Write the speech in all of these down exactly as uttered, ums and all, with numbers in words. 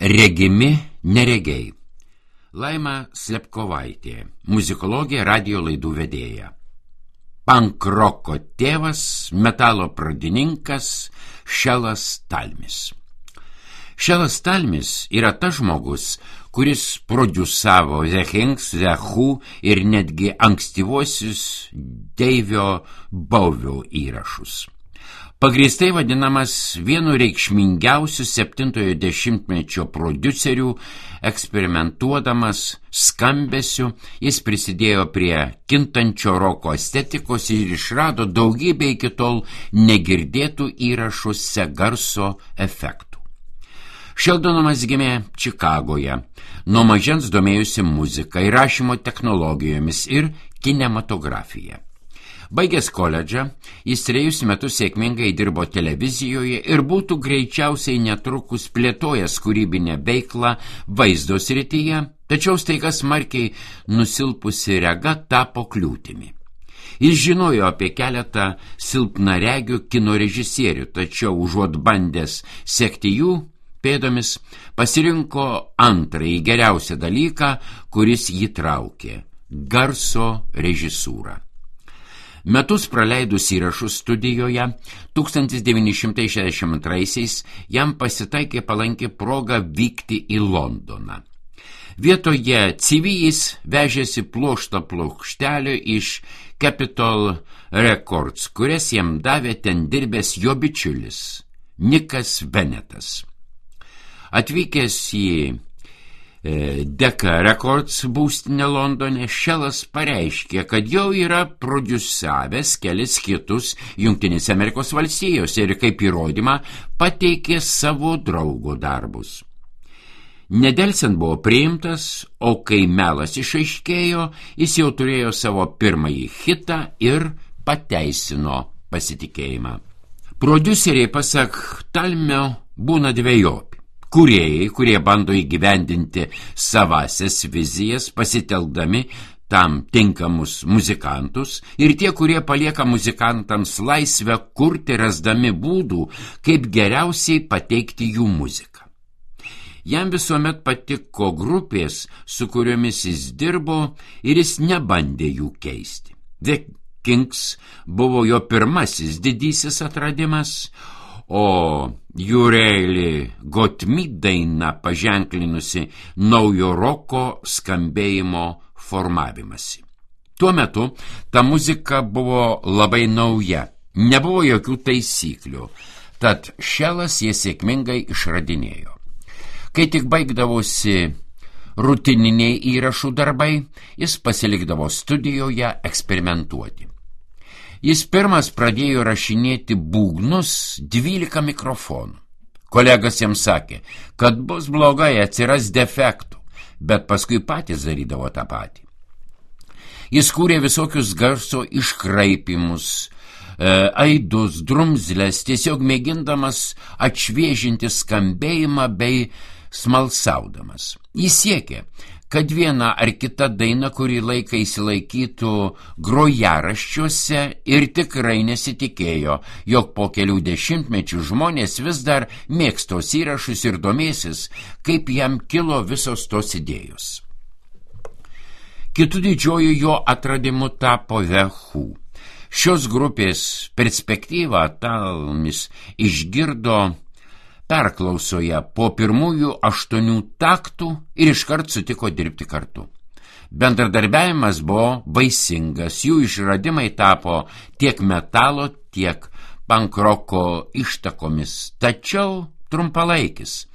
Regimi neregiai. Laima Slepkovaitė, muzikologė, radijo laidų vedėja. Pankroko tėvas, metalo pradininkas Šelas Talmis. Šelas Talmis yra tas žmogus, kuris prodiusavo The Kinks, The Who ir netgi ankstyvuosius Deivio Bouvio įrašus. Pagrįstai vadinamas vienu reikšmingiausių septintojo dešimtmečio prodiuserių, eksperimentuodamas skambesiu, jis prisidėjo prie kintančio roko estetikos ir išrado daugybę iki tol negirdėtų įrašuose garso efektų. Šeldonas gimė Čikagoje, nuo mažens domėjusi muzika, įrašymo technologijomis ir kinematografija. Baigęs koledžą, jis trejus metus sėkmingai dirbo televizijoje ir būtų greičiausiai netrukus plėtojęs kūrybinę veiklą vaizdo srityje, tačiau staiga smarkiai nusilpusi rega tapo kliūtimi. Jis žinojo apie keletą silpnaregių kino režisierių, tačiau užuot bandęs sekti jų pėdomis, pasirinko antrąjį geriausią dalyką, kuris jį traukė – garso režisūrą. Metus praleidus įrašų studijoje, tūkstantis devyni šimtai šešiasdešimt antraisiais jam pasitaikė palanki proga vykti į Londoną. Vietoje C V jis vežėsi pluoštą plokštelių iš Capitol Records, kurias jam davė ten dirbęs jo bičiulis Nikas Benetas. Atvykęs į Decca Records būstinę Londone, Šelas pareiškė, kad jau yra prodiusavęs kelis hitus Jungtinėse Amerikos valstijose ir kaip įrodymą pateikė savo draugo darbus. Nedelsiant buvo priimtas, o kai melas išaiškėjo, jis jau turėjo savo pirmąjį hitą ir pateisino pasitikėjimą. Prodiuseriai, pasak Talmio, būna dvejopi. Kūrėjai, kurie bando įgyvendinti savasias vizijas, pasitelkdami tam tinkamus muzikantus, ir tie, kurie palieka muzikantams laisvę kurti, rasdami būdų, kaip geriausiai pateikti jų muziką. Jam visuomet patiko grupės, su kuriomis jis dirbo, ir jis nebandė jų keisti. The Kinks buvo jo pirmasis didysis atradimas, o You Really Got Me daina paženklinusi naujo roko skambėjimo formavimąsi. Tuo metu ta muzika buvo labai nauja, nebuvo jokių taisyklių, tad Šelas jie sėkmingai išradinėjo. Kai tik baigdavosi rutininiai įrašų darbai, jis pasilikdavo studijoje eksperimentuoti. Jis pirmas pradėjo rašinėti būgnus dvylika mikrofonų. Kolegas jam sakė, kad bus blogai, atsiras defektų, bet paskui patys darydavo tą patį. Jis kūrė visokius garso iškraipimus, e, aidus, drumzles, tiesiog mėgindamas atšviežinti skambėjimą bei smalsaudamas. Jis siekė, kad viena ar kita daina kurį laiką įsilaikytų grojaraščiuose ir tikrai nesitikėjo, jog po kelių dešimtmečių žmonės vis dar mėgstos įrašus ir domėsis, kaip jam kilo visos tos idėjos. Kitų didžiojų jo atradimu tapo The Who. Šios grupės perspektyvą Talmis išgirdo perklausoje po pirmųjų aštuonių taktų ir iškart sutiko dirbti kartu. Bendradarbiavimas buvo vaisingas, jų išradimai tapo tiek metalo, tiek pankroko ištakomis, tačiau trumpalaikis.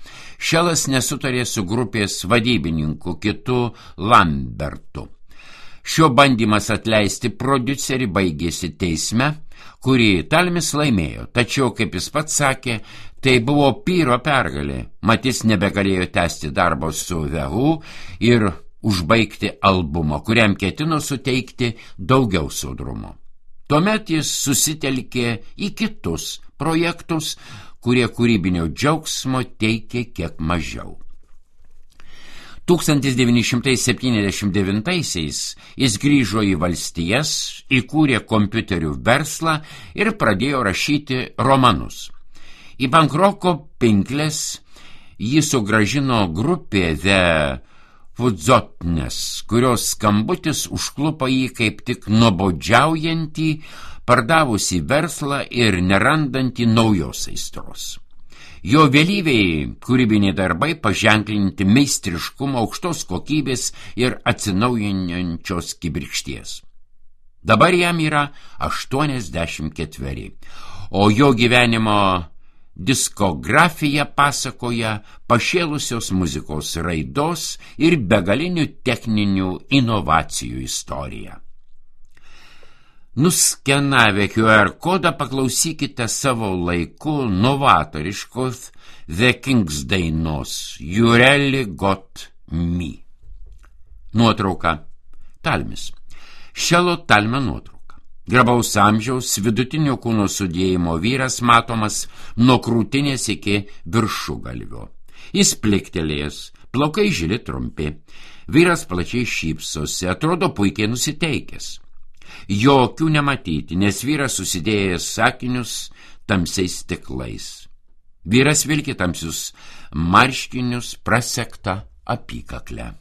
Šelas nesutarė su grupės vadybininku kitu Lambertu. Šio bandymas atleisti prodiuserį baigėsi teisme, kurį Talmis laimėjo, tačiau, kaip jis pats sakė, tai buvo pyro pergalė, mat jis nebegalėjo tęsti darbo su The Who ir užbaigti albumo, kuriam ketino suteikti daugiau sodrumo. Tuomet jis susitelkė į kitus projektus, kurie kūrybinio džiaugsmo teikė kiek mažiau. tūkstantis devyni šimtai septyniasdešimt devintaisiais jis grįžo į valstijas, įkūrė kompiuterių verslą ir pradėjo rašyti romanus. Į pankroko pinkles jį sugražino grupė The Fudzotnes, kurios skambutis užklupo jį kaip tik nuobodžiaujantį, pardavusį verslą ir nerandantį naujos aistros. Jo vėlyviai kūrybiniai darbai paženklinti meistriškumo, aukštos kokybės ir atsinaujinančios kibirkšties. Dabar jam yra aštuoniasdešimt ketveri, o jo gyvenimo diskografija pasakoja pašėlusios muzikos raidos ir begalinių techninių inovacijų istoriją. Nuskenavę Q R kodą paklausykite savo laiku novatoriškos The Kings dainos You Really Got Me. Nuotrauka. Talmis. Šelo Talme nuotrauka. Grabaus amžiaus vidutinio kūno sudėjimo vyras matomas nuo krūtinės iki viršugalvio. Jis pliktelėjęs, plaukai žili trumpi. Vyras plačiai šypsosi, atrodo puikiai nusiteikęs. Jokių nematyti, nes vyras susidėjęs sakinius tamsiais stiklais. Vyras vilki tamsius marškinius prasegtą apykaklę.